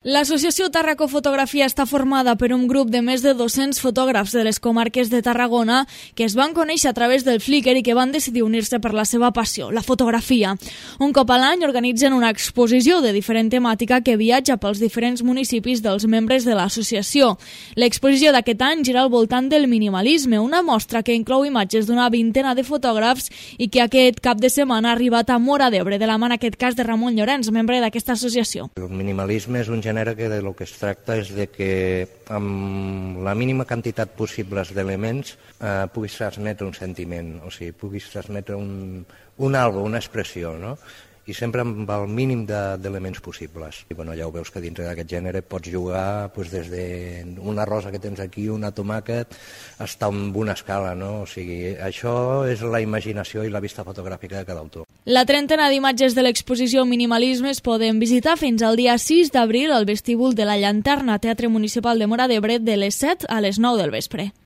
L'associació Tàrraco Fotografia està formada per un grup de més de 200 fotògrafs de les comarques de Tarragona que es van conèixer a través del Flickr i que van decidir unir-se per la seva passió, la fotografia. Un cop a l'any organitzen una exposició de diferent temàtica que viatja pels diferents municipis dels membres de l'associació. L'exposició d'aquest any gira al voltant del minimalisme, una mostra que inclou imatges d'una vintena de fotògrafs i que aquest cap de setmana ha arribat a Móra d'Ebre, de la mà en aquest cas de Ramon Llorenç, membre d'aquesta associació. El minimalisme és un gènere que de lo que es tracta és de que amb la mínima quantitat possible d'elements puguis transmetre un sentiment, o sigui, puguis transmetre un algo, una expressió, no? I sempre amb el mínim d'elements possibles. I bueno, ja ho veus que dintre d'aquest gènere pots jugar des d'una rosa que tens aquí, una tomàquet, fins a una escala, no? O sigui, això és la imaginació i la vista fotogràfica de cada autor. La trentena d'imatges de l'exposició Minimalisme es poden visitar fins al dia 6 d'abril al vestíbul de la Llanterna, Teatre Municipal de Móra d'Ebre, de les 7 a les 9 del vespre.